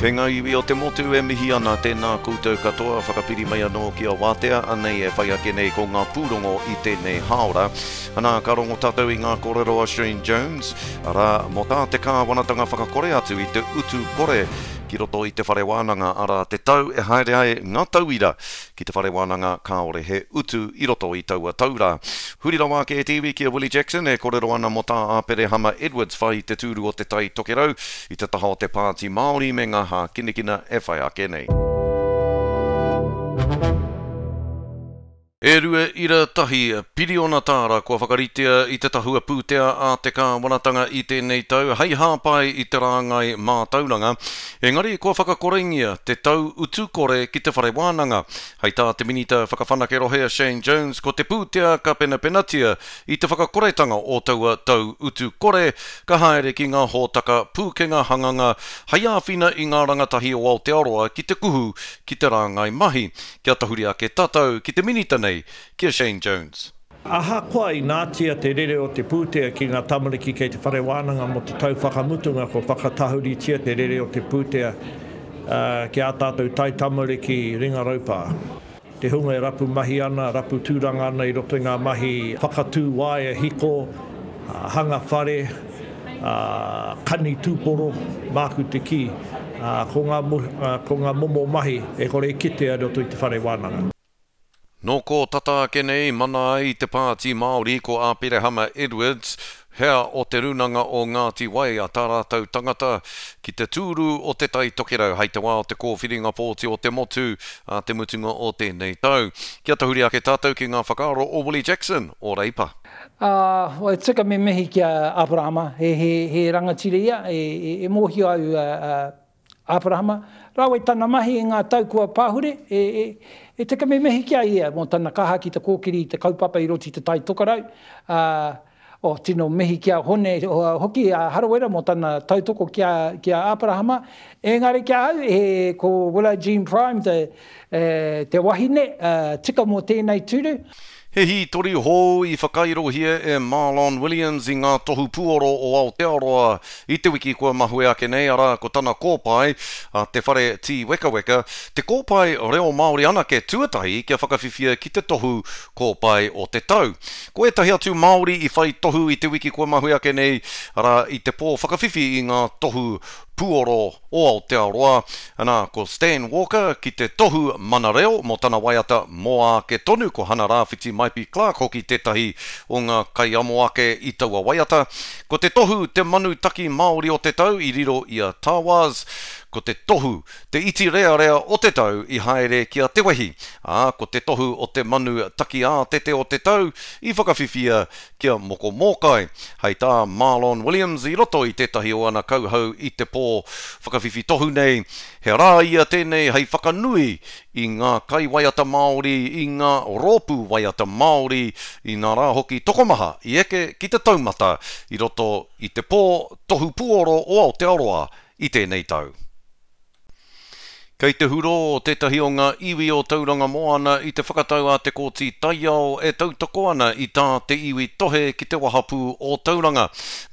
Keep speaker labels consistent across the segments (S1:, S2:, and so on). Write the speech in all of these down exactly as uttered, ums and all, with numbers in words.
S1: E ngā iwi o te motu e mihi ana, tēnā koutou katoa, whakapiri mai anō ki a Wātea, anei e whai ake nei ko ngā pūrongo i tēnei hāora. Anā, ka rongo tātou i ngā kōrero a Shane Jones, arā, mō tā te kāwanatanga whakakore atu i te utu kore ki roto i te whare wānanga, arā, te tau e haere ai ngā tauira ki te whare wānanga kāore he utu i roto i taua tau rā. Huri rawa ake e te iwi ki a Willie Jackson e kōrero ana mō tā Aperehama Edwards whai i te tūru o Te Tai Tokerau i te taha o te Pāti Māori me ngā hākinakina e whai ake nei. E rua ira tahi piriona tāra kua whakaritea i te tahua pūtea a te kāwanatanga i tēnei tau hei hāpai i te rāngai mātauranga, engari kua whakakorengia te tau utu kore ki te whare wānanga. Hei tā te Minita Whakawhanake Rohe a Shane Jones, ko te pūtea ka penapenatia i te whakakoretanga o taua tau utu kore ka haere ki ngā hōtaka pūkenga hanganga hei āwhina i ngā rangatahi o Aotearoa ki te kuhu ki te rāngai mahi. Kia tahuri ake tātou ki te Minita nei, ki a Shane Jones.
S2: Ahakoa inātia te rere o te pūtea ki ngā tamariki kei te whare wānanga mō te tau whakamutunga, ko whakatahuritia te rere o te pūtea, uh, ki ā tātou tai tamariki ringa raupā. Te hunga e rapu mahi ana, rapu tūranga ana i roto i ngā mahi whakatū waea hiko, uh, hanga whare, uh, kani tūporo, māku te kī, uh, ko ngā, uh, ko ngā momo mahi e kore e kitea i roto i te whare wānanga.
S1: Nō kō tata ake nei mana ai te Pāti Māori ko Aperehama Edwards, hea o te Rūnanga o Ngāti Wai a tā rātou tangata ki te tūru o Te Tai Tokerau hei te wā o te kōwhiringa pōti o te motu a te mutunga o tēnei tau. Kia tahuri ake tātou ki ngā whakaaro o Willie Jackson o Reipa.
S3: Uh, e tika me mihi ki a Aperahama, he, he, he rangatira ia, e, e, e mōhio au uh, Aperahama, rāua i tana mahi i ngā tau kua pāhure, e, e, e tika me mihi ki a ia mō tana kaha ki te kōkiri i te kaupapa i roto i te Tai Tokerau. Uh, o, tino mihi ki a Hone, hoki a Harawira mō tana tautoko ki a, ki a Aperahama. Engari ki a au, e, ko Willow Jean Prime te, e, te wahine, uh, tika mō tēnei tūru.
S1: He hītori hou i whakairohia e Marlon Williams i ngā tohu puoro o Aotearoa i te wiki kua mahue ake nei, arā ko tana kōpae a te whare Tīwekaweka, te kōpae reo Māori anake tuatahi kia whakawhiwhia ki te tohu kōpae o te tau. Ko ētahi atu Māori i whai tohu i te wiki kua mahue ake nei, arā i te pō whakawhiwhi i ngā tohu puoro o Aotearoa. Anā, ko Stan Walker ki te tohu mana reo mō tana waiata mō ake tonu, ko Hana Rāwhiti Maipi Clark hoki tētahi o ngā kaiamo ake i taua waiata. Ko te tohu te manu taki Māori o te tau i riro i a Tawaz, ko te tohu te iti rearea o te tau i haere ki a Te Wehi, ā, ko te tohu o te manu taki ātete o te tau i whakawhiwhia ki a Moko Mōkai. Hei tā Marlon Williams i roto i tētahi o ana kauhau i te pō whakawhiwhi tohu nei, he rā ia tēnei hei whakanui i ngā kaiwaiata Māori, i ngā rōpū waiata Māori, i ngā rā hoki tokomaha i eke ki te taumata i roto i te pō tohu puoro o Aotearoa i tēnei tau. Kei te huro tētahi o ngā iwi o Tauranga Moana i te whakatau a te Kōti Taiao e tautoko ana i tā te iwi tohe ki te wahapū o Tauranga.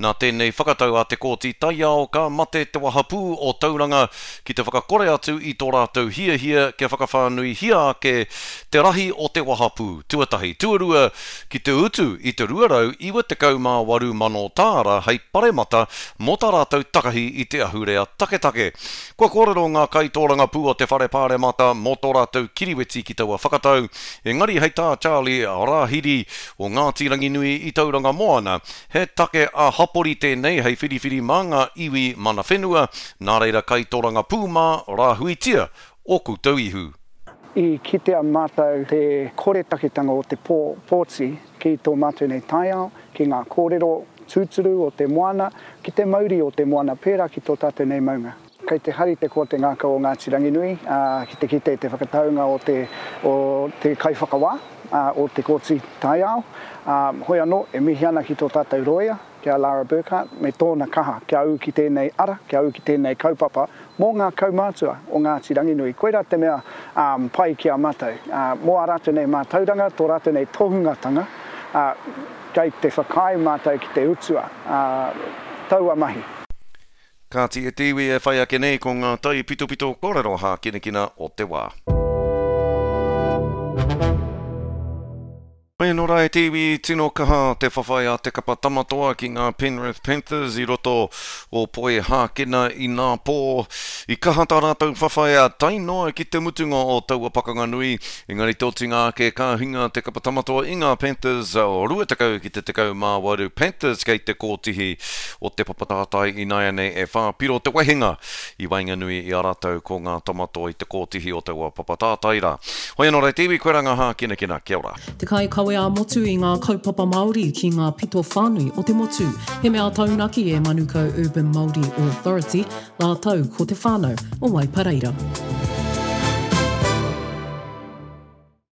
S1: Nā tēnei whakatau a te Kōti Taiao ka mate te wahapū o Tauranga ki te whakakore atu i tō rātou hiahia kia whakawhānuihia ake te rahi o te wahapū. Tuatahi, tuarua ki te utu i te rua rau iwa tekau mā waru mano tāra hei paremata mō tā rātou takahi i te ahurea taketake. Kua kōrero ngā kaitōrangapū o te whare pāremata mō tō rātou kiriweti ki taua whakatau, engari hei tā Charlie Rāhiri o Ngāti Ranginui i Tauranga Moana, he take a hapori tēnei hei whiriwhiri mā ngā iwi mana whenua, nā reira kaitōrangapū mā rāhuitia o koutou ihu.
S4: I kitea mātou te koretaketanga o te pō, pōti ki tō mātou nei taiao, ki ngā kōrero tūturu o te moana, ki te mauri o te moana pērā ki tō tātou nei maunga. Kei te hari te koa te ngākau o Ngāti Ranginui, ā, ki te kite te whakataunga o te, o te kaiwhakawā, ā, o te Kōti Taiao. Ā, hoi anō, e mihi ana ki tō tātou roia, ki a Lara Burkhart, me tōna kaha kia ū ki tēnei ara, kia ū ki tēnei kaupapa mō ngā kaumātua o Ngāti Ranginui. Koirā te mea, um, pai ki a mātou. Ā, mō ā rātou nei mātauranga, tō rātou nei tohungatanga, ā, kei te whakaae mātou ki te utua, ā, taua mahi.
S1: Kāti e te iwi e whai ake nei ko ngā taipitopito kōrero hākinakina o te wā. Hoi anō rā e te iwi, tino kaha te whawhai a te kapa Tamatoa ki ngā Penrith Panthers i roto o Poihākena inapō. I kaha tā rātou whawhai a tae noa ki te mutunga o taua pakanga nui, engari te otinga ake ka hinga te kapa Tamatoa i ngā Panthers rua tekau ki te tekau mā waru. Panthers kei te kōtihi o te papa tātai ināianei e whā piro te wehenga i waenganui i a rātou ko ngā Tamatoa i te kōtihi o taua papa tātai rā. Hoi anō rā e te iwi, koirā ngā hākinakina. Kia ora.
S5: Te kaikawe ā-motu i ngā kaupapa Māori ki ngā pito whānui o te motu. He mea taunaki e Manukau Urban Māori Authority rātou ko te whānau o Waipareira.